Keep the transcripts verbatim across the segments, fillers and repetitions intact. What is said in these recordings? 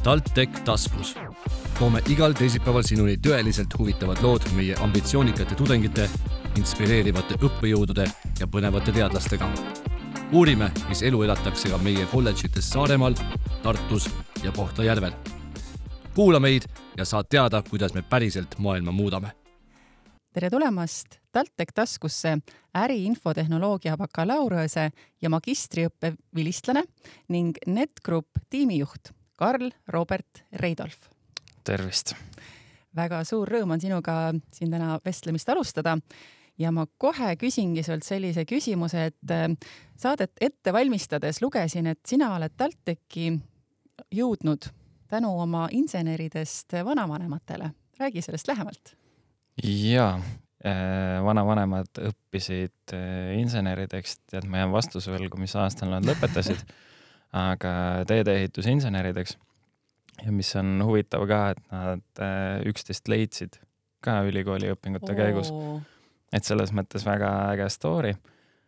TalTech taskus. Toome igal teisipäeval sinuni tõeliselt huvitavad lood meie ambitsioonikate tudengite, inspireerivate õppejõudude ja põnevate teadlastega. Uurime, mis elu elatakse ka meie kolledžites Saaremaal, Tartus ja Kohtla-Järvel. Kuula meid ja saad teada, kuidas me päriselt maailma muudame. Tere tulemast TalTech taskusse äriinfotehnoloogia bakalaureuse ja magistriõppe vilistlane ning NetGroup tiimijuht Karl Robert Reidolf. Tervist! Väga suur rõõm on sinuga siin täna vestlemist alustada ja ma kohe küsingi sult sellise küsimuse, et saadet ette valmistades lugesin, et sina oled TalTechi jõudnud tänu oma inseneridest vanavanematele. Räägi sellest lähemalt. Jaa, vanavanemad õppisid insenerideks, tead, ma jään vastuse võlgu, mis aastal nad lõpetasid, aga teedeehitusinsenerideks. Ja mis on huvitav ka, et nad üksteist leidsid ka ülikooli õpingute käigus. Et selles mõttes väga äge story.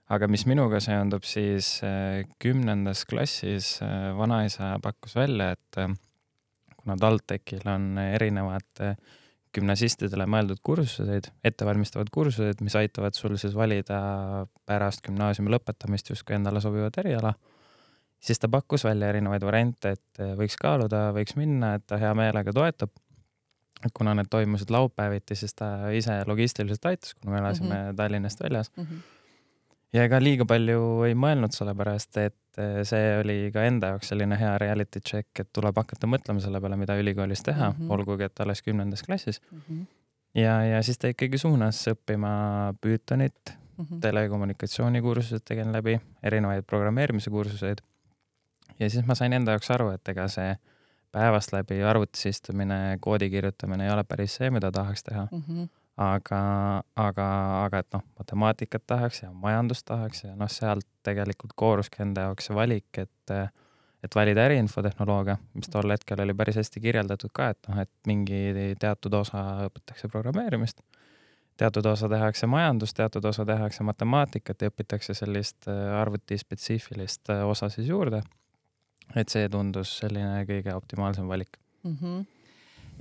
Aga mis minuga seondub, siis kümnendas klassis vanaisa pakkus välja, et kuna TalTechil on erinevad gümnasistidele mõeldud kursused, ettevalmistavad kursused, mis aitavad sul siis valida pärast gümnaasiumi lõpetamist justkui endale sobivat eriala, siis ta pakkus välja erinevaid variante, et võiks kaaluda, võiks minna, et ta hea meelega toetab. Kuna need toimusid laupäeviti, siis ta ise logistiliselt aitas, kuna me elasime mm-hmm. Tallinnast väljas. Mm-hmm. Ja ega liiga palju ei mõelnud selle pärast, et see oli ka enda jaoks selline hea reality check, et tuleb hakata mõtlema selle peale, mida ülikoolis teha, mm-hmm. olgugi, et alles kümnendas klassis. Mm-hmm. Ja, ja siis ta ikkagi suunas õppima Pythonit, mm-hmm. telekommunikatsioonikursused tegin läbi, erinevaid programmeerimise kursuseid. Ja siis ma sain enda jaoks aru, et ega see päevast läbi arvutis istumine, koodi kirjutamine ei ole päris see, mida tahaks teha. Mm-hmm. Aga, aga, aga et noh, matemaatikat tahaks ja majandust tahaks ja noh, sealt tegelikult kooruski enda jaoks valik, et, et valida äriinfotehnoloogia, mis tol hetkel oli päris hästi kirjeldatud ka, et noh, et mingi teatud osa õpitakse programmeerimist, teatud osa tehakse majandust, teatud osa tehakse matemaatikat ja õpitakse sellist arvutispetsiifilist osa siis juurde. Et see tundus selline kõige optimaalsem valik. Mm-hmm.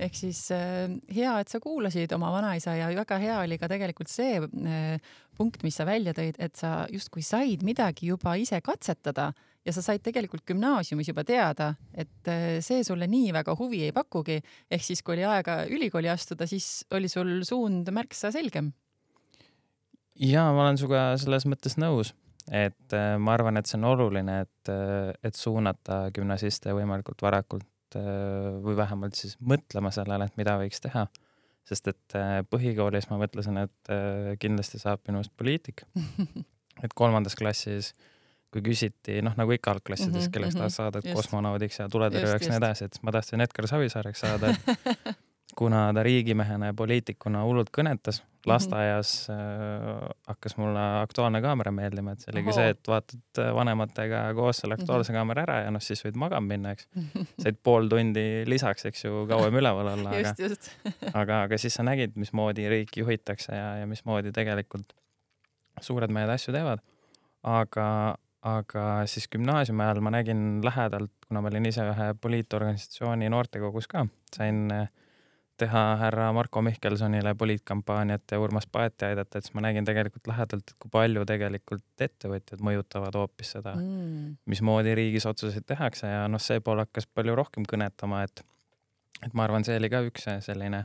Ehk siis äh, hea, et sa kuulasid oma vanaisa ja väga hea oli ka tegelikult see äh, punkt, mis sa välja tõid, et sa justkui said midagi juba ise katsetada ja sa said tegelikult gümnaasiumis juba teada, et äh, see sulle nii väga huvi ei pakugi. Ehk siis, kui oli aega ülikooli astuda, siis oli sul suund märksa selgem. Ja ma olen suga selles mõttes nõus. Et ma arvan, et see on oluline, et, et suunata gümnasiste võimalikult varakult või vähemalt siis mõtlema sellele, et mida võiks teha. Sest et põhikoolis ma mõtlesin, et kindlasti saab minust poliitik. Et kolmandas klassis, kui küsiti, noh nagu ikka algklassides, mm-hmm, kelleks mm-hmm, tahad saada just. Kosmonaudiks ja tuletõrjujaks ja nii edasi, et ma tahtsin Edgar Savisaareks saada, et kuna ta riigimehena ja poliitikuna hullult kõnetas, lasteaias äh, hakkas mulle Aktuaalne kaamera meeldima, et see oligi Oho. See, et vaatad vanematega koos selle Aktuaalse mm-hmm. kaamera ära ja noh, siis võid magama minna, eks. Said pool tundi lisaks, eks ju, kauem üleval olla, aga, just, just. aga, aga siis sa nägid, mismoodi riiki juhitakse ja, ja mismoodi tegelikult suured mehed asju teevad. Aga, aga siis gümnaasiumi ajal ma nägin lähedalt, kuna ma olin ise ühe poliitorganisatsiooni noortekogus ka, sain teha härra Marko Mihkelsonile poliitkampaaniat ja Urmas Paeti aidata, et siis ma nägin tegelikult lähedalt, et kui palju tegelikult ettevõtjad mõjutavad hoopis seda, mm. mismoodi riigis otsuseid tehakse ja noh, see pool hakkas palju rohkem kõnetama, et, et ma arvan, see oli ka üks selline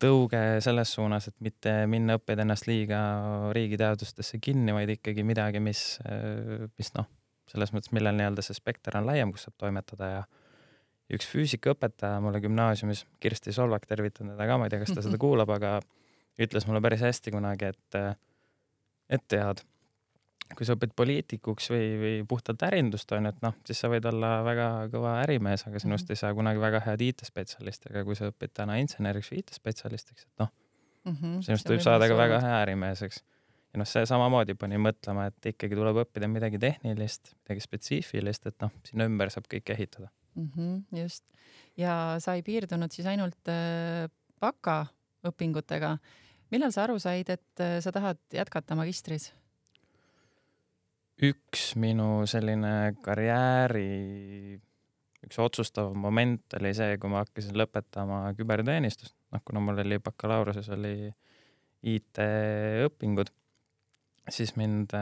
tõuge selles suunas, et mitte minna õppida ennast liiga riigiteadustesse kinni, vaid ikkagi midagi, mis, mis noh, selles mõttes, millel nii-öelda see spekter on laiem, kus saab toimetada ja üks füüsikaõpetaja mulle gümnaasiumis, Kirsti Solvak, tervitan teda ka, ma ei tea, kas ta seda kuulab, aga ütles mulle päris hästi kunagi, et, et tead, kui sa õpid poliitikuks või, või puhtalt ärindust on, et noh, siis sa võid olla väga kõva ärimees, aga sinust mm-hmm. ei saa kunagi väga head I T-spetsialist, aga kui sa õpid täna inseneriks või I T-spetsialistiks, et noh, mm-hmm. sinust võib saada ka väga hea ärimeeseks. Ja noh, see samamoodi pani mõtlema, et ikkagi tuleb õppida midagi tehnilist, midagi spetsiifilist, et noh, sinna ümber saab kõik ehitada. Mm-hmm, just. Ja sa ei piirdunud siis ainult äh, baka õpingutega. Millal sa aru said, et äh, sa tahad jätkata magistris? Üks minu selline karjääri üks otsustav moment oli see, kui ma hakkasin lõpetama küberteenistust, noh, kuna mul oli bakalaureuse, oli I T õpingud, siis mind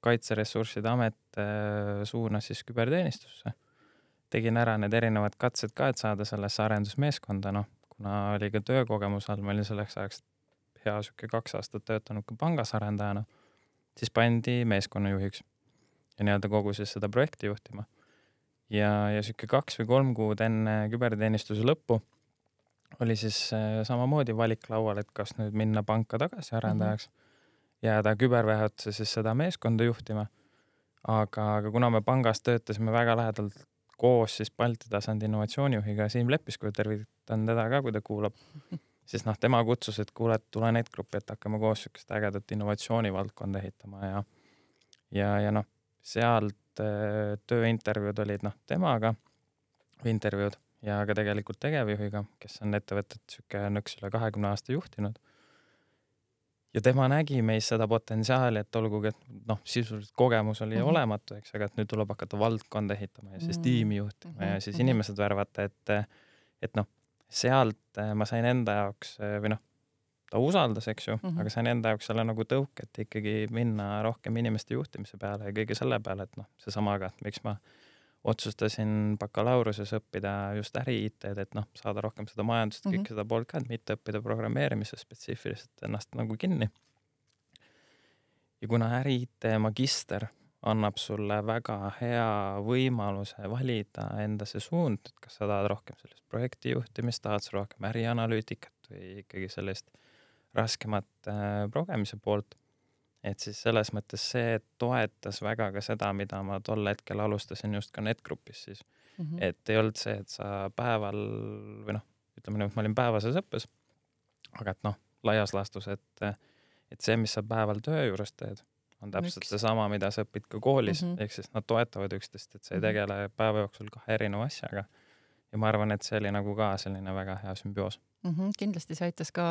Kaitseressursside Amet suunas siis küberteenistusse. Tegin ära need erinevad katsed ka, et saada sellesse arendusmeeskonda, noh, kuna oli ka töökogemus all, ma olin selleks ajaks hea süke kaks aastat töötanud ka pangas arendajana, siis pandi meeskonnajuhiks ja nii-öelda kogu siis seda projekti juhtima. Ja, ja süke kaks või kolm kuud enne küberteenistuse lõppu oli siis samamoodi valik laual, et kas nüüd minna panka tagasi arendajaks, mm-hmm. jääda küberväeotse siis seda meeskonda juhtima. Aga, aga kuna me pangas töötasime väga lähedalt koos siis Balti tasandi innovatsioonijuhiga Siim Leppisku, tervitan teda ka, kui ta kuulab, siis noh, tema kutsus, et kuule, et tule NetGroupi, et hakkame koos sükest ägedat innovatsioonivaldkonda ehitama ja, ja, ja noh, sealt tööintervjuud olid noh, temaga intervjuud ja ka tegelikult tegevjuhiga, kes on ettevõtet süke nõks üle kahekümne aasta juhtinud. Ja tema nägi meis seda potentsiaali, et olgugi, et noh, sisuliselt kogemus oli mm-hmm. olematu, eks, aga et nüüd tuleb hakata valdkonda ehitama ja siis mm-hmm. tiimi juhtima mm-hmm. ja siis inimesed värvata, et, et noh, sealt ma sain enda jaoks või noh, ta usaldas, eks ju, mm-hmm. aga sain enda jaoks selle nagu tõuk, et ikkagi minna rohkem inimeste juhtimise peale ja kõige selle peale, et noh, see samaga, et miks ma otsustasin bakalauruses õppida just äri-I T-d, et noh, saada rohkem seda majandust, kõik mm-hmm. seda poolt ka, et mitte õppida programmeerimise spetsiifiliselt ennast nagu kinni. Ja kuna äri-I T magister annab sulle väga hea võimaluse valida enda see suund, et kas sa tahad rohkem sellist projekti juhtimist, tahad sa rohkem ärianalüütikat või ikkagi sellist raskemat äh, progemise poolt, et siis selles mõttes see toetas väga ka seda, mida ma tol hetkel alustasin just ka NetGroupis siis. Mm-hmm. Et ei olnud see, et sa päeval või noh, ütleme nüüd, ma olin päevases õppes, aga et noh, laias laastus, et, et see, mis sa päeval töö juures teed, on täpselt Miks? Seesama, mida sa õpid ka koolis, mm-hmm. ehk siis nad toetavad üksteist, et sa ei tegele päeva jooksul kahe erineva asjaga. Ja ma arvan, et see oli nagu ka selline väga hea sümbioos. Mm-hmm. Kindlasti see aitas ka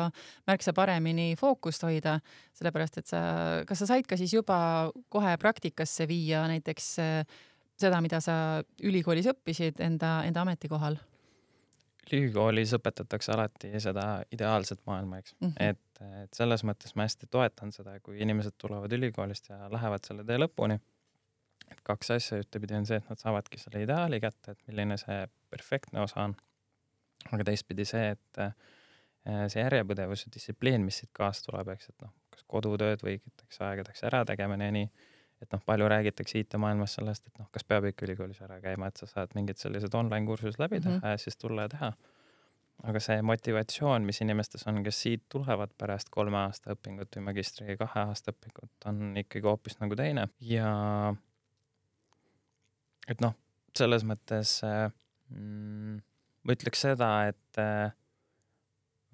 märksa paremini fookust hoida, sellepärast, et sa, kas sa said ka siis juba kohe praktikasse viia näiteks seda, mida sa ülikoolis õppisid enda, enda ametikohal? Ülikoolis õpetatakse alati seda ideaalset maailma, eks. Mm-hmm. Et, et selles mõttes ma hästi toetan seda, kui inimesed tulevad ülikoolist ja lähevad selle tee lõpuni. Et kaks asja ühtepidi on see, et nad saavadki selle ideaali kätte, et milline see perfektne osa on. Aga teistpidi see, et see järjepõdevus ja distsipliin, mis siit kaasa tuleb, eks, et noh, kas kodutööd või võitakse aegadeks ära tegemine ja nii, et noh, palju räägitakse I T-maailmas sellest, et noh, kas peab ikka ülikoolis ära käima, et sa saad mingid sellised online-kursus läbi teha mm-hmm. ja siis tulla ja teha. Aga see motivatsioon, mis inimestes on, kes siit tulevad pärast kolme aasta õpingut või magistri kahe aasta õpingut, on ikkagi hoopis nagu teine. Ja et noh, selles mõttes mm, ma ütleks seda, et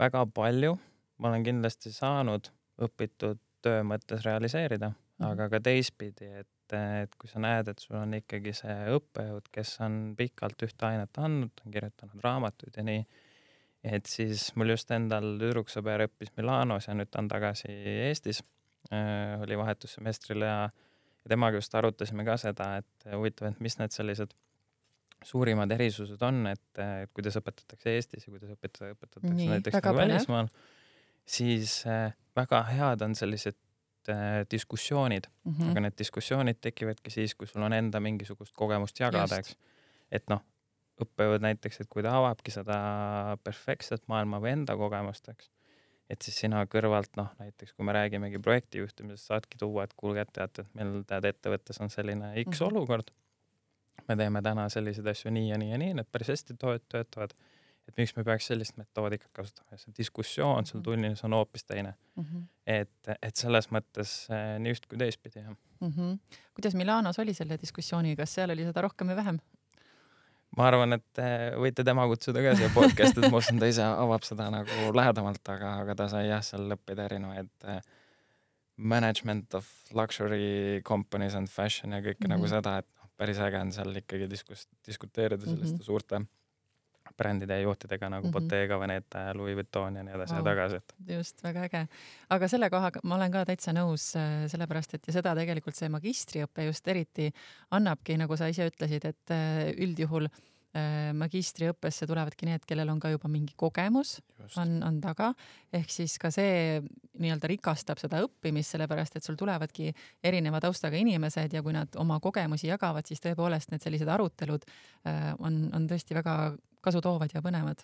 väga palju ma olen kindlasti saanud õpitud töö mõttes realiseerida, mm-hmm. aga ka teistpidi, et, et kui sa näed, et sul on ikkagi see õppejõud, kes on pikalt ühte ainet andnud, on kirjutanud raamatuid ja nii, et siis mul just endal tüdruksõber õppis Milanos ja nüüd ta on tagasi Eestis, äh, oli vahetussemestril ja, ja temaga just arutasime ka seda, et huvitav, et mis need sellised suurimad erisused on, et, et kuidas õpetatakse Eestis ja kuidas õpetatakse, õpetatakse nii, näiteks nagu välismaal, siis äh, väga head on sellised äh, diskussioonid, mm-hmm. aga need diskussioonid tekivadki siis, kui sul on enda mingisugust kogemust jagada, eks. Et noh, õppejõud näiteks, et kui ta avabki seda perfektset maailma või enda kogemust, eks, et siis sina kõrvalt, noh, näiteks kui me räägimegi projekti juhtimisest, saadki tuua, et kuulge, et teate, et meil tead ettevõttes on selline X mm-hmm. olukord, me teeme täna selliseid asju nii ja nii ja nii, need päris hästi töötavad, et miks me peaks sellist metoodikat kasutama ja see diskussioon sul tunnis on hoopis teine. Mm-hmm. Et, et selles mõttes nii üht kui teistpidi. Mm-hmm. Kuidas Milanos oli selle diskussiooni, kas seal oli seda rohkem või vähem? Ma arvan, et võite tema kutsuda ka siia podcast, et ma usun, ta ise avab seda nagu lähedamalt, aga, aga ta sai jah, seal lõppida erinevaid management of luxury companies and fashion ja kõike mm-hmm. nagu seda, et päris äge on seal ikkagi diskus, diskuteerida selliste mm-hmm. suurte brändide ja juhtidega nagu mm-hmm. Bottega, Veneta ja Louis Vuitton ja nii edasi wow. ja tagasi. Et. Just, väga äge. Aga selle kohaga ma olen ka täitsa nõus, sellepärast, et ja seda tegelikult see magistriõpe just eriti annabki, nagu sa ise ütlesid, et üldjuhul magistriõppesse tulevadki need, kellel on ka juba mingi kogemus, on, on taga, ehk siis ka see nii-öelda rikastab seda õppimist, sellepärast et sul tulevadki erineva taustaga inimesed ja kui nad oma kogemusi jagavad, siis tõepoolest need sellised arutelud on, on tõesti väga kasutoovad ja põnevad.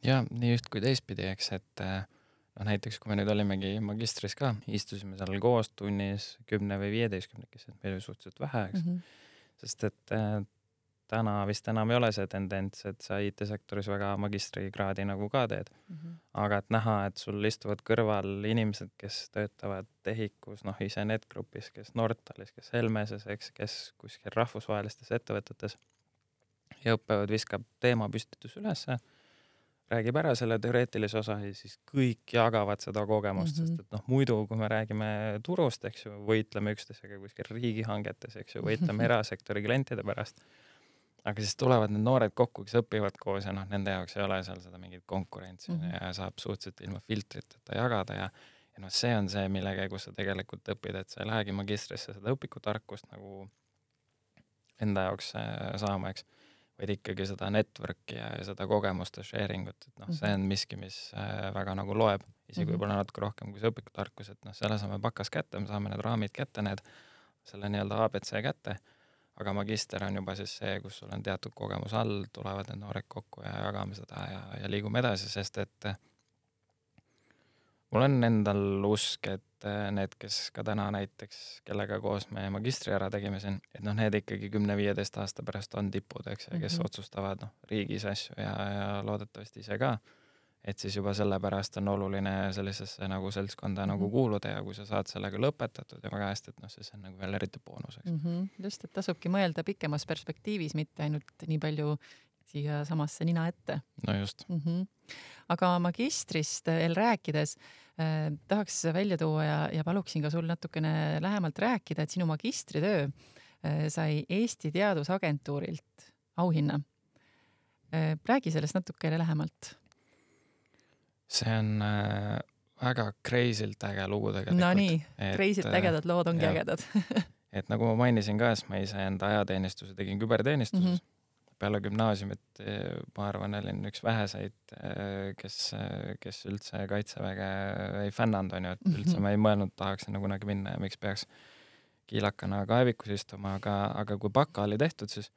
Ja nii üht kui teistpidi, eks, et no näiteks kui me nüüd olimegi magistris ka, istusime seal koos tunnis kümne või viieteistkümnekes, et meil oli suhteliselt vähe, eks, mm -hmm. sest et täna vist enam ei ole see tendents, et sa I T-sektoris väga magistrikraadi nagu ka teed. Mm-hmm. Aga et näha, et sul istuvad kõrval inimesed, kes töötavad Tehikus, noh ise NetGroupis, kes Nortalis, kes Helmeses, eks, kes kuskil rahvusvahelistes ettevõtetes ja õppevad viskab teemapüstitus ülesse, räägib ära selle teoreetilise osa ja siis kõik jagavad seda kogemust, mm-hmm. sest et noh, muidu kui me räägime turust, eks ju, võitleme üksteisega kuskil riigihangetes, eks ju, võitleme erasektori klientide pärast. Aga siis tulevad need noored kokku, kes õpivad koos ja noh, nende jaoks ei ole seal seda mingit konkurentsi mm-hmm. ja saab suhteliselt ilma filtriteta jagada ja, ja noh, see on see, mille käigus sa tegelikult õpid, et sa ei lähegi magistrisse seda õpikutarkust nagu enda jaoks saama, eks, vaid ikkagi seda network'i ja, ja seda kogemuste sharing ut, et noh, see on miski, mis väga nagu loeb, isegi mm-hmm. võib-olla natuke rohkem kui see õpikutarkus, et noh, selle saame pakas kätte, me saame need raamid kätte, need selle nii-öelda A B C kätte. Aga magister on juba siis see, kus sul on teatud kogemus all, tulevad need noored kokku ja jagame seda ja, ja liigume edasi, sest et mul on endal usk, et need, kes ka täna näiteks, kellega koos me magistri ära tegime siin, et noh, need ikkagi kümne viieteist aasta pärast on tipud, eks, ja kes mm-hmm. otsustavad noh, riigis asju ja, ja loodetavasti ise ka. Et siis juba sellepärast on oluline sellisesse nagu seltskonda mm-hmm. nagu kuuluda ja kui sa saad sellega lõpetatud ja väga hästi, et noh, siis on nagu veel eriti boonuseks. Mm-hmm. Just, et tasubki mõelda pikemas perspektiivis, mitte ainult nii palju siia samasse nina ette. No just. Mm-hmm. Aga magistrist veel rääkides eh, tahaks välja tuua ja, ja paluksin ka sul natukene lähemalt rääkida, et sinu magistritöö eh, sai Eesti Teadusagentuurilt auhinna. Eh, räägi sellest natukene lähemalt. See on äh, väga crazylt äge lugu tegelikult. No nii, crazylt ägedad lood ongi ja, ägedad. Et nagu ma mainisin ka, et ma ise enda ajateenistuse tegin küberteenistuses. Mm-hmm. Peale gümnaasiumit ma arvan, olin üks väheseid, kes, kes üldse kaitseväge ei fännanud, on ju, et üldse mm-hmm. ma ei mõelnud, tahaks sinna kunagi minna ja miks peaks kiilakana kaevikus istuma, aga, aga kui baka oli tehtud, siis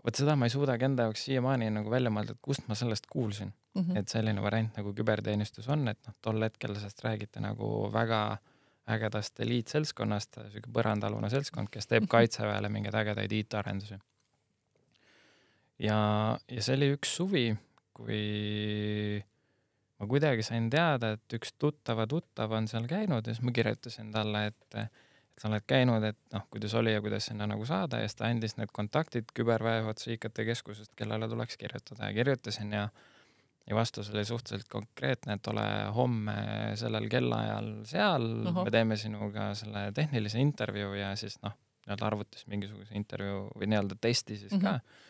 võt seda ma ei suudagi enda jaoks siiamaani nagu välja mõelda, et kust ma sellest kuulsin. Mm-hmm. Et selline variant nagu küberteenistus on, et noh, tol hetkel sellest räägite nagu väga ägedast eliitseltskonnast, selline põrandalune seltskond, kes teeb kaitseväele mingeid ägedaid I T-arendusi. Ja, ja see oli üks suvi, kui ma kuidagi sain teada, et üks tuttava tuttav on seal käinud ja siis ma kirjutasin talle, et et sa oled käinud, et noh, kuidas oli ja kuidas sinna nagu saada ja siis ta andis need kontaktid küberväejuhatuse I K T keskusest, kellele tuleks kirjutada ja kirjutasin ja, ja vastus oli suhteliselt konkreetne, et ole homme sellel kellaajal seal, Oho. Me teeme sinuga selle tehnilise intervjuu ja siis noh, nii-öelda arvutis mingisuguse intervjuu või nii-öelda testi siis mm-hmm. ka.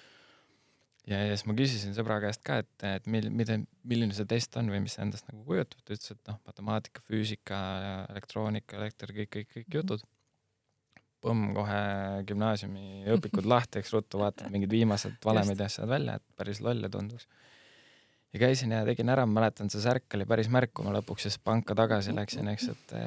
Ja, ja siis ma küsisin sõbra käest ka, et, et mil, mida, milline see test on või mis see endast nagu kujutab, ta ütles, et noh, matemaatika, füüsika, elektroonika, elekter, kõik, kõik, kõik jutud. Põmm kohe gümnaasiumi õpikud lahti, eks ruttu vaatad mingid viimased valemid ja asjad välja, et päris lolle tunduks. Ja käisin ja tegin ära, mäletan, see särk oli päris märk, kui ma lõpuks siis panka tagasi läksin, eks, et,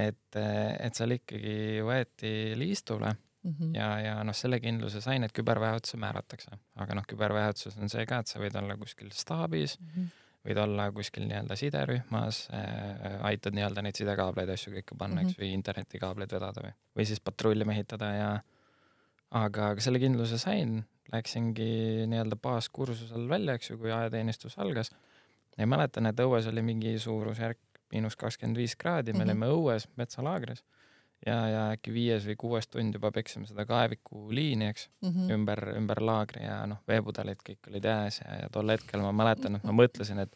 et, et seal ikkagi võeti liistule mm-hmm. ja, ja noh, selle kindluse sain, et küberväejuhatuse määratakse. Aga noh, küberväejuhatsus on see ka, et sa võid olla kuskil staabis, mm-hmm. võid olla kuskil nii-öelda siderühmas, äh, aitad nii-öelda neid sidekaableid asju kõike panna, mm-hmm. eks, või internetikaableid vedada või, või siis patrulli mehitada ja aga, aga selle kindluse sain, läksingi nii-öelda baaskursusel välja, eks ju, kui ajateenistus algas. Ja mäletan, et õues oli mingi suurusjärk miinus kakskümmend viis kraadi, me olime mm-hmm. õues metsalaagris ja, ja äkki viies või kuues tund juba peksime seda kaeviku liini, eks, mm-hmm. ümber, ümber laagri ja noh, veepudelid kõik olid jääs ja, ja tol hetkel ma mäletan, et ma mõtlesin, et,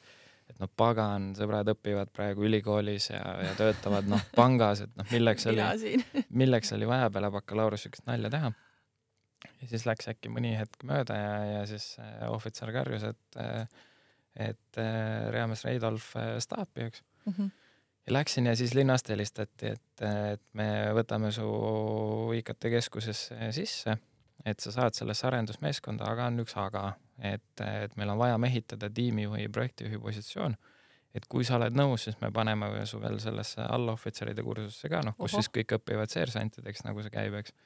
et noh, pagan, sõbrad õpivad praegu ülikoolis ja, ja töötavad noh, pangas, et noh, milleks oli, milleks oli vaja peale bakalaureus sükest nalja teha. Ja siis läks äkki mõni hetk mööda ja, ja siis ohvitser karjus, et, et Reames Reidolf staapi, eks. Mm-hmm. Ja läksin ja siis linnast helistati, et, et me võtame su I K T keskuses sisse et sa saad sellesse arendusmeeskonda, aga on üks aga, et, et meil on vaja mehitada tiimijuhi, projektijuhi positsioon, et kui sa oled nõus, siis me paneme su veel sellesse allohvitseride kursusse ka, noh, kus Oho. Siis kõik õpivad seersantideks, nagu see käib, eks.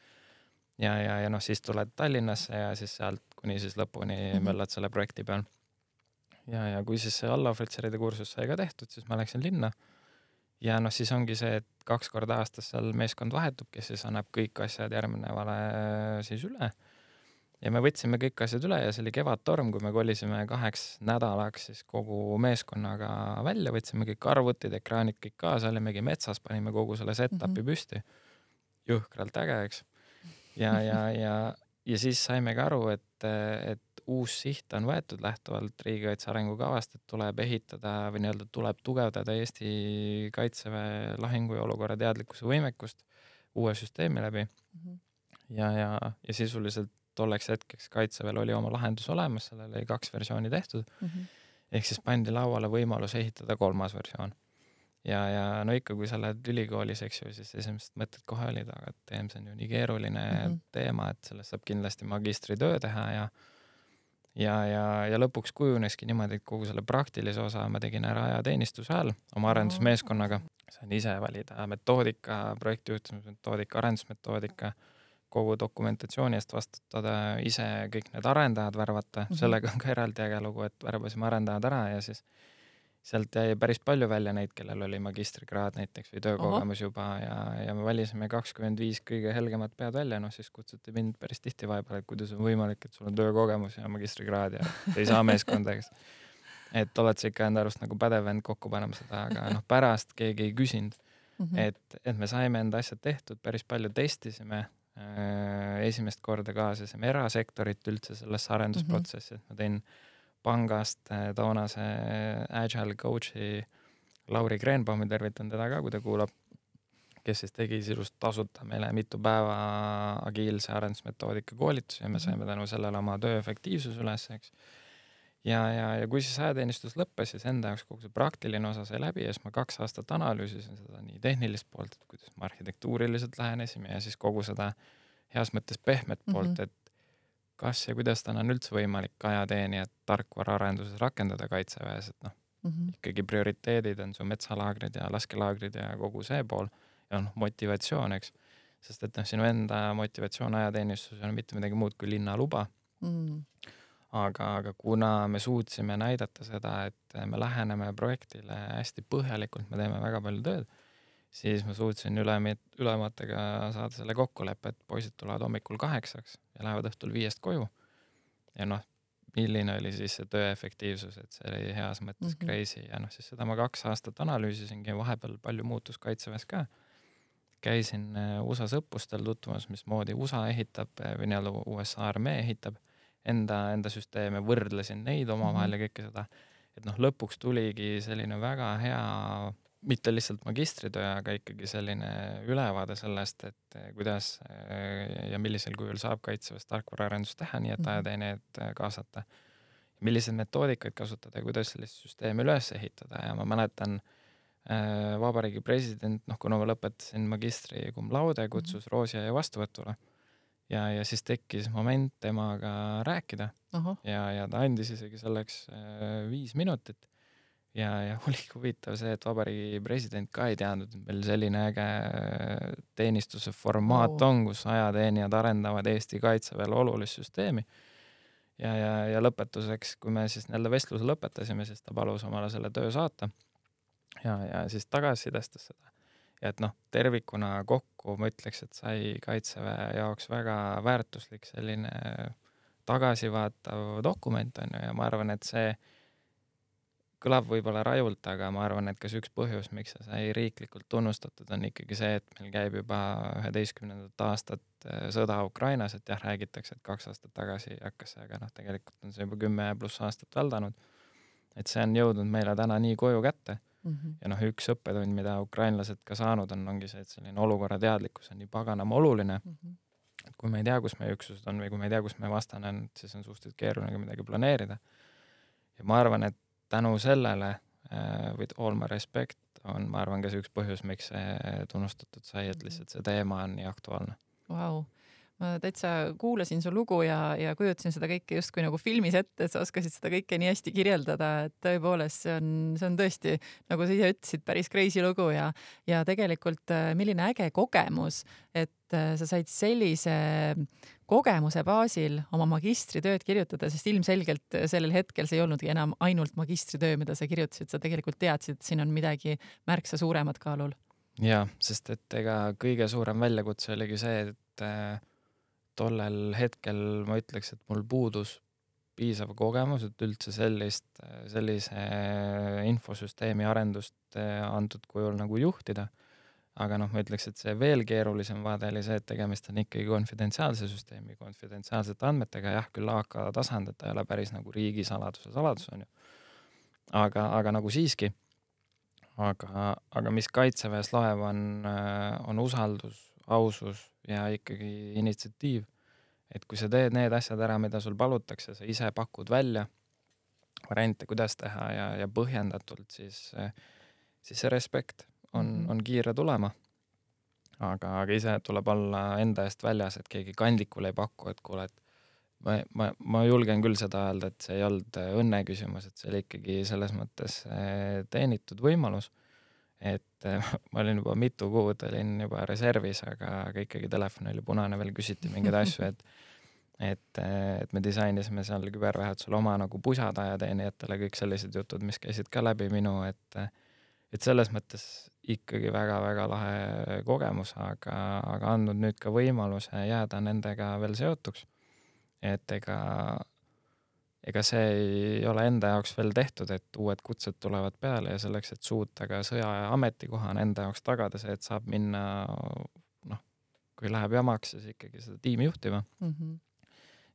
Ja, ja, ja noh, siis tuled Tallinnasse ja siis sealt kuni siis lõpuni mm-hmm. möllad selle projekti peal. Ja, ja kui siis see allohvitseride kursus sai ka tehtud, siis ma läksin linna. Ja noh, siis ongi see, et kaks korda aastas seal meeskond vahetub, kes siis annab kõik asjad järgnevale siis üle. Ja me võtsime kõik asjad üle ja see oli kevadtorm, kui me kolisime kaheks nädalaks siis kogu meeskonnaga välja, võtsime kõik arvutid, ekraanid kõik kaasa, olimegi metsas, panime kogu selle set-upi mm-hmm. püsti. Jõhkralt äge, eks. Ja, ja, ja, ja siis saime ka aru, et, et uus siht on võetud lähtuvalt riigikaitse arengukavast, et tuleb ehitada või nii-öelda tuleb tugevdada Eesti kaitseväe lahingu ja olukorra teadlikkuse võimekust uue süsteemi läbi. Mm-hmm. Ja, ja, ja sisuliselt tolleks hetkeks kaitseväel oli oma lahendus olemas, sellele oli kaks versiooni tehtud. Mm-hmm. Ehk siis pandi lauale võimalus ehitada kolmas versioon. Ja, ja no ikka, kui sa lähed ülikoolis, eks ju, siis esimesed mõtted kohe olid, aga teem, see on ju nii keeruline mm-hmm. teema, et sellest saab kindlasti magistritöö teha ja ja, ja, ja lõpuks kujuneski niimoodi, et kogu selle praktilise osa ma tegin ära ajateenistuse ajal oma arendusmeeskonnaga. Sain ise valida metoodika, projektijuhtimismetoodika, arendusmetoodika, kogu dokumentatsiooni eest vastutada, ise kõik need arendajad värvata, mm-hmm. sellega on ka eraldi äge lugu, et värbasime arendajad ära ja siis sealt jäi päris palju välja neid, kellel oli magistrikraad näiteks või töökogemus juba ja, ja me valisime kakskümmend viis kõige helgemat pead välja, noh siis kutsuti mind päris tihti vahepeal, et kuidas on võimalik, et sul on töökogemus ja magistrikraad ja ei saa meeskonda, eks. Et oled sa ikka enda arust nagu pädev end kokku panema seda, aga noh, pärast keegi ei küsinud, mm-hmm. et, et me saime enda asjad tehtud, päris palju testisime, esimest korda kaasasime erasektorit üldse sellesse arendusprotsessi, et ma tein pangast toonase Agile coach'i Lauri Kreenbaumi, tervitan teda ka, kui ta kuulab, kes siis tegi silust tasuta meile mitu päeva agiilse arendusmetoodika koolitusi ja me saime tänu sellele oma töö efektiivsus üles, eks. Ja, ja, ja kui siis ajateenistus lõppes, siis enda jaoks kogu see praktiline osa sai läbi ja siis ma kaks aastat analüüsisin seda nii tehnilist poolt, et kuidas me arhitektuuriliselt lähenesime ja siis kogu seda heas mõttes pehmet poolt, mm-hmm. et kas ja kuidas täna on üldse võimalik ajateenijat tarkvaraarenduses rakendada kaitseväes, et noh, mm-hmm. ikkagi prioriteedid on su metsalaagrid ja laskelaagrid ja kogu see pool ja noh, motivatsioon, eks. Sest et noh, sinu enda motivatsioon ajateenistus on mitte midagi muud kui linnaluba. Mm. Aga, aga kuna me suutsime näidata seda, et me läheneme projektile hästi põhjalikult, me teeme väga palju tööd, siis ma suutsin ülemit, ülematega saada selle kokkuleppe, et poisid tulevad hommikul kaheksaks ja lähevad õhtul viiest koju. Ja noh, milline oli siis see töö efektiivsus, et see oli heas mõttes mm-hmm. crazy ja noh, siis seda ma kaks aastat analüüsisingi ja vahepeal palju muutus kaitseväes ka. Käisin U S A õppustel tutvumas, mismoodi U S A ehitab või nii-öelda U S A armee ehitab enda, enda süsteeme, võrdlesin neid omavahel mm-hmm. ja kõike seda, et noh, lõpuks tuligi selline väga hea mitte lihtsalt magistritöö, aga ikkagi selline ülevaade sellest, et kuidas ja millisel kujul saab kaitseväes tarkvaraarendust teha, nii et ajateenijad kaasata. Millised metoodikaid kasutada ja kuidas sellist süsteemi üles ehitada ja ma mäletan äh, vabariigi president, noh kuna ma lõpetasin magistri cum laude, kutsus mm-hmm. Roosia ja vastuvõtule ja, ja siis tekkis moment temaga rääkida uh-huh. ja, ja ta andis isegi selleks äh, viis minutit. Ja, ja oli huvitav see, et vabariigi president ka ei teadnud, et meil selline äge teenistuse formaat oh. on, kus ajateenijad arendavad Eesti kaitseväel olulist süsteemi. Ja, ja, ja lõpetuseks, kui me siis nii-öelda vestluse lõpetasime, siis ta palus omale selle töö saata ja, ja siis tagasisidestas seda. Ja et noh, tervikuna kokku ma ütleks, et sai kaitseväe jaoks väga väärtuslik selline tagasivaatav dokument on ju ja ma arvan, et see kõlab võib-olla rajult, aga ma arvan, et kas üks põhjus, miks see sai riiklikult tunnustatud, on ikkagi see, et meil käib juba üheteistkümnendat aastat sõda Ukrainas, et jah, räägitakse, et kaks aastat tagasi hakkas see, aga noh, tegelikult on see juba kümme pluss aastat väldanud. Et see on jõudnud meile täna nii koju kätte. Mm-hmm. Ja noh, üks õppetund, mida ukrainlased ka saanud on, ongi see, et selline olukorra teadlikkus on nii paganama oluline. Mm-hmm. Et kui me ei tea, kus meie üksused on või kui me ei tea, kus meie vastane on, siis on suhteliselt keeruline midagi planeerida. Ja ma arvan, et tänu sellele with all my respect on, ma arvan, ka see üks põhjus, miks see tunnustatud sai, et lihtsalt see teema on nii aktuaalne. Vau. ma täitsa kuulasin su lugu ja, ja kujutasin seda kõike justkui nagu filmis ette, et sa oskasid seda kõike nii hästi kirjeldada, et tõepoolest see on, see on tõesti, nagu sa ise ütlesid, päris crazy lugu ja, ja tegelikult milline äge kogemus, et sa said sellise kogemuse baasil oma magistritööd kirjutada, sest ilmselgelt sellel hetkel see ei olnudki enam ainult magistritöö, mida sa kirjutasid, sa tegelikult teadsid, et siin on midagi märksa suuremat kaalul. Jaa, sest et ega kõige suurem väljakutse oligi see, et tollel hetkel ma ütleks, et mul puudus piisav kogemus, et üldse sellist, sellise infosüsteemi arendust antud kujul nagu juhtida. Aga noh, ma ütleks, et see veel keerulisem vaade oli see, et tegemist on ikkagi konfidentsiaalse süsteemi, konfidentsiaalsete andmetega, jah, küll A K tasand, et ta ei ole päris nagu riigisaladuse saladus on ju. Aga, aga nagu siiski. Aga, aga mis kaitseväes loeb on, on usaldus, ausus ja ikkagi initsiatiiv. Et kui sa teed need asjad ära, mida sul palutakse, sa ise pakud välja variante, kuidas teha ja, ja põhjendatult, siis, siis see respekt on, on kiire tulema. Aga, aga ise tuleb olla enda eest väljas, et keegi kandikul ei paku, et kuule, et ma, ma, ma julgen küll seda öelda, et see ei olnud õnne küsimus, et see oli ikkagi selles mõttes teenitud võimalus. Et ma olin juba mitu kuud, olin juba reservis, aga, aga ikkagi telefon oli punane, veel küsiti mingeid asju, et, et, et me disainisime seal kübervähetusel oma nagu pusatajateenijatele kõik sellised jutud, mis käisid ka läbi minu, et, et selles mõttes ikkagi väga-väga lahe kogemus, aga, aga andnud nüüd ka võimaluse jääda nendega veel seotuks. Et ega ega see ei ole enda jaoks veel tehtud, et uued kutsed tulevad peale ja selleks, et suuta ka sõja ja ametikohan enda jaoks tagada see, et saab minna, noh, kui läheb jamaks, siis ikkagi seda tiimi juhtima. Mm-hmm.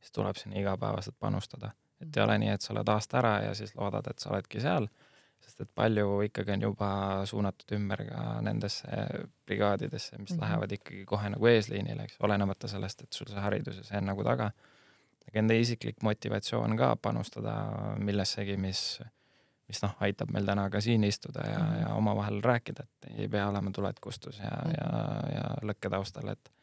Siis tuleb sinna igapäevaselt panustada. Et ei ole nii, et sa oled aasta ära ja siis loodad, et sa oledki seal, sest et palju ikkagi on juba suunatud ümber ka nendesse brigaadidesse, mis mm-hmm. lähevad ikkagi kohe nagu eesliinile, eks, olenemata sellest, et sul see haridus ja see on nagu taga. Aga enda isiklik motivatsioon ka panustada millessegi, mis, mis noh, aitab meil täna ka siin istuda ja, mm-hmm. ja oma vahel rääkida, et ei pea olema tuled kustus ja, mm-hmm. ja, ja lõkke taustal, et,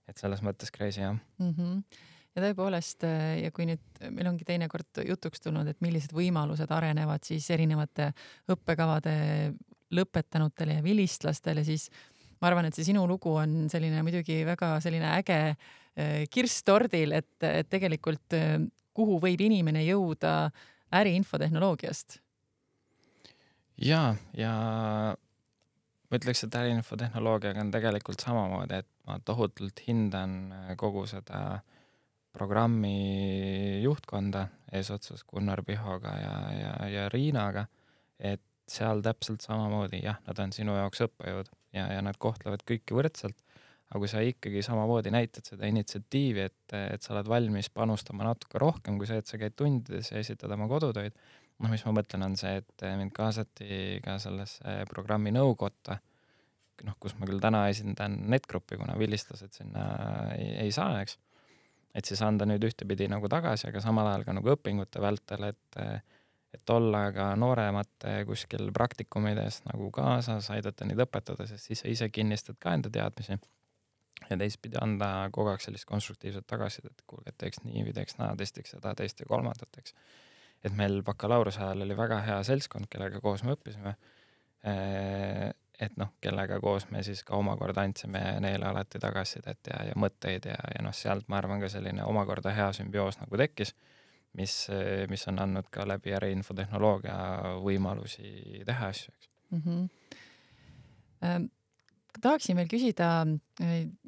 et selles mõttes crazy, jah. Mm-hmm. Ja tõepoolest, ja kui nüüd meil ongi teinekord jutuks tulnud, et millised võimalused arenevad siis erinevate õppekavade lõpetanutele ja vilistlastele, siis ma arvan, et see sinu lugu on selline muidugi väga selline äge kirstordil, et, et tegelikult kuhu võib inimene jõuda äriinfotehnoloogiast? Jaa, ja ma ütleks, et äriinfotehnoloogiaga on tegelikult samamoodi, et ma tohutult hindan kogu seda programmi juhtkonda eesotsas Gunnar Pihoga ja, ja, ja Riinaga, et seal täpselt samamoodi, jah, nad on sinu jaoks õppejõud ja, ja nad kohtlevad kõiki võrdselt. Aga kui sa ikkagi samamoodi näitad seda initsiatiivi, et, et sa oled valmis panustama natuke rohkem kui see, et sa käid tundides ja esitad oma kodutöid, noh, mis ma mõtlen on see, et mind kaasati ka sellesse programmi nõukotta, noh, kus ma küll täna esindan NetGroupi, kuna vilistlased sinna ei, ei saa, eks. Et siis anda nüüd ühtepidi nagu tagasi, aga samal ajal ka nagu õpingute vältel, et, et olla ka nooremate kuskil praktikumides nagu kaasas, aidata neid õpetada, sest siis sa ise kinnistad ka enda teadmisi. Ja teistpidi anda kogu aeg sellist konstruktiivset tagasid, et kuulge, et teeks nii või teeks naa, testiks seda, teist ja kolmandat, eks. Et meil bakalaureuse ajal oli väga hea seltskond, kellega koos me õppisime. Et noh, kellega koos me siis ka omakorda andsime neile alati tagasidet ja, ja mõtteid ja, ja noh, sealt ma arvan ka selline omakorda hea sümbioos nagu tekkis, mis, mis on andnud ka läbi äriinfotehnoloogia võimalusi teha asju, eks. Mm-hmm. Ähm. Tahaksin veel küsida,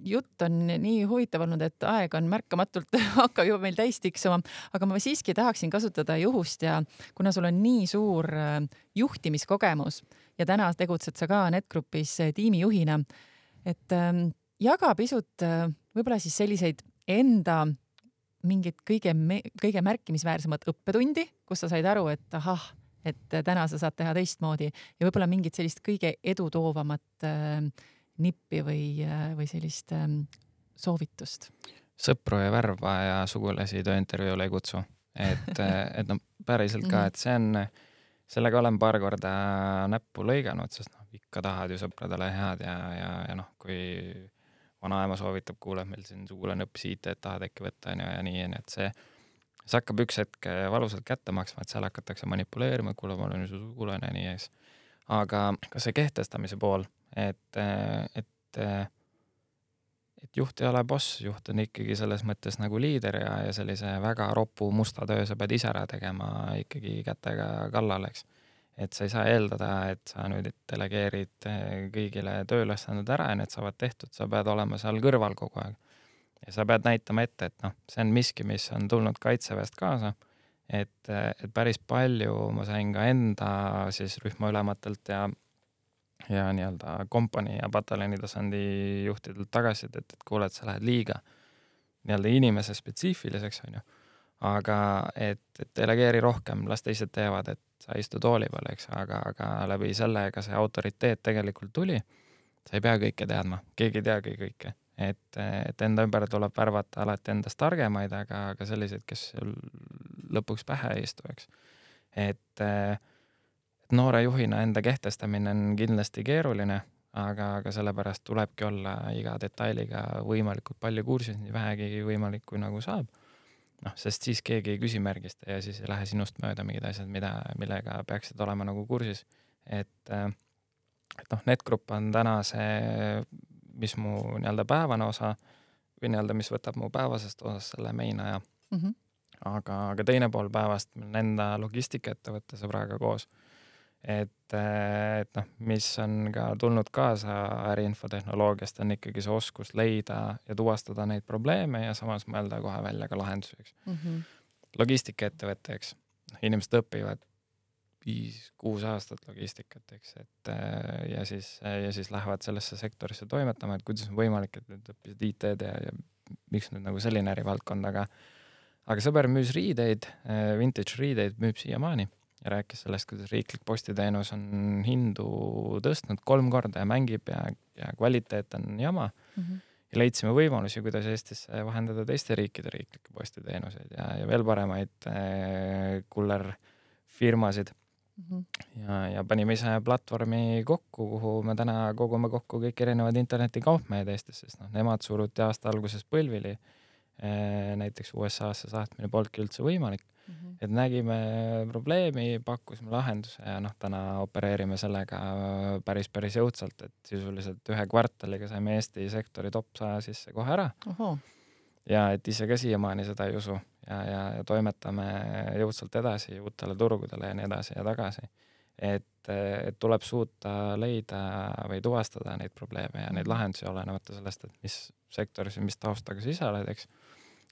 jutt on nii huvitav olnud, et aeg on märkamatult hakkab juba meil täis tiksuma, aga ma siiski tahaksin kasutada juhust ja kuna sul on nii suur juhtimiskogemus ja täna tegutsed sa ka NetGroupis tiimijuhina, et jaga pisut võib-olla siis selliseid enda mingid kõige, kõige märkimisväärsemad õppetundi, kus sa said aru, et ahah, et täna sa saad teha teistmoodi ja võib-olla mingid sellist kõige edutoovamat nippi või, või sellist ähm, soovitust? Sõpru ja värva ja sugulasi tööintervjuule ei kutsu. Et, et no päriselt ka, et see on, sellega olen paar korda näppu lõiganud, sest noh, ikka tahad ju sõpradele head ja, ja, ja noh, kui vanaema soovitab, kuule, meil siin sugulane õppis I T-d, tahad äkki võtta ja, ja nii, et see, see hakkab üks hetk valusalt kätte maksma, et seal hakatakse manipuleerima, kuule, ma olen su sugulane ja nii ees. Aga ka see kehtestamise pool, et, et, et juht ei ole boss, juht on ikkagi selles mõttes nagu liider ja, ja sellise väga ropu musta töö sa pead ise ära tegema ikkagi kätega kallal, eks. Et sa ei saa eeldada, et sa nüüd delegeerid kõigile tööülesanded ära ja need saavad tehtud, sa pead olema seal kõrval kogu aeg. Ja sa pead näitama ette, et noh, see on miski, mis on tulnud kaitseväest kaasa, et, et päris palju ma sain ka enda siis rühmaülematelt ja, ja nii-öelda kompanii ja pataljoni tasandi juhtidelt tagasi, et, et kuule, et sa lähed liiga nii-öelda inimese spetsiifiliseks, on ju. Aga et, et delegeeri rohkem, las teised teevad, et sa istu tooli peal, eks, aga, aga läbi sellega see autoriteet tegelikult tuli. Sa ei pea kõike teadma, keegi ei teagi kõike. Et, et enda ümber tuleb värvata alati endast targemaid, aga, aga sellised, kes lõpuks pähe ei istu, eks. Et, et noore juhina enda kehtestamine on kindlasti keeruline, aga, aga sellepärast tulebki olla iga detailiga võimalikult palju kursis, nii vähegi võimalik, kui nagu saab. noh, sest siis keegi ei küsimärgista ja siis ei lähe sinust mööda mingid asjad, mida, millega peaksid olema nagu kursis. Et, et noh, NetGrupp on täna see, mis mu nii-öelda päevane osa või nii-öelda, mis võtab mu päevasest osast selle main aja. Mm -hmm. aga, aga teine pool päevast on enda logistikaettevõtte sõbraga koos. Et, et noh, mis on ka tulnud kaasa äriinfotehnoloogiast, on ikkagi see oskus leida ja tuvastada neid probleeme ja samas mõelda kohe välja ka lahendusi. Mm -hmm. Logistikaettevõtte, eks. Inimesed õpivad viis, kuus aastat logistikat, eks, et ja siis, ja siis lähevad sellesse sektorisse toimetama, et kuidas on võimalik, et nüüd õppisid I T-d ja, ja miks nüüd nagu selline ärivaldkond, aga aga sõber müüs riideid, vintage riideid müüb siiamaani ja rääkis sellest, kuidas riiklik postiteenus on hindu tõstnud kolm korda ja mängib ja, ja kvaliteet on jama. Mm -hmm. Ja leidsime võimalusi, kuidas Eestisse vahendada teiste riikide riiklikke postiteenuseid ja, ja veel paremaid äh, kullerfirmasid. Mm -hmm. ja, ja panime ise platvormi kokku, kuhu me täna kogume kokku kõik erinevad internetikaupmehed Eestis, sest noh, nemad suruti aasta alguses põlvili. Näiteks U S A-sse saatmine polnudki üldse võimalik. Mm -hmm. Et nägime probleemi, pakkusime lahenduse ja noh, täna opereerime sellega päris, päris jõudsalt, et sisuliselt ühe kvartaliga saime Eesti sektori top saja sisse kohe ära. Oho. Ja et ise ka siiamaani seda ei usu ja, ja, ja toimetame jõudsalt edasi uutele turgudele ja nii edasi ja tagasi. Et, et tuleb suuta leida või tuvastada neid probleeme ja neid lahendusi olenemata sellest, et mis sektoris ja mis taustaga sa ise oled, eks.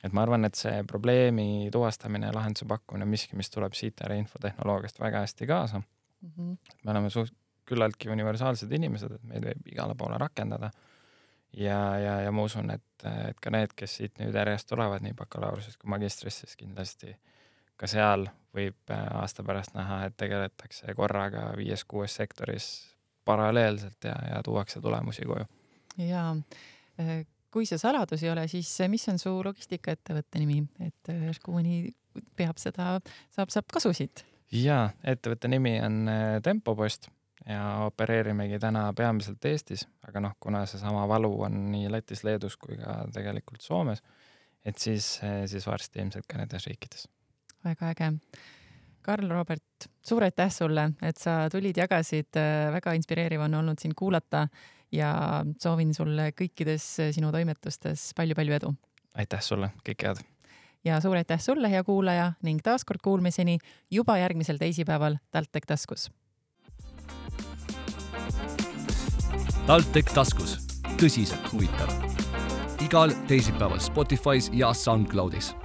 Et ma arvan, et see probleemi tuvastamine ja lahenduse pakkumine on miski, mis tuleb siit äriinfotehnoloogiast väga hästi kaasa. Mm -hmm. Me oleme suht küllaltki universaalsed inimesed, et meid võib igale poole rakendada. Ja, ja, ja ma usun, et, et ka need, kes siit nüüd järjest tulevad nii bakalaureusest kui magistrist, siis kindlasti ka seal võib aasta pärast näha, et tegeletakse korraga viies-kuues sektoris paralleelselt ja, ja tuuakse tulemusi koju. Jaa, kui see saladus ei ole, siis mis on su logistikaettevõtte nimi? Et kui mõni peab seda, saab, saab kasusid? Jaa, ettevõtte nimi on Tempopost ja opereerimegi täna peamiselt Eestis, aga noh, kuna see sama valu on nii Lätis, Leedus kui ka tegelikult Soomes, et siis, siis varsti ilmselt ka nendes riikides. Väga äge. Karl Robert, suur aitäh sulle, et sa tulid, jagasid, väga inspireeriv on olnud sind kuulata ja soovin sulle kõikides sinu toimetustes palju-palju edu. Aitäh sulle, kõik head. Ja suur aitäh sulle, hea kuulaja, ning taaskord kuulmiseni juba järgmisel teisipäeval TalTech taskus. TalTech taskus, tõsiselt huvitav. Igal teisipäeval Spotify's ja SoundCloudis.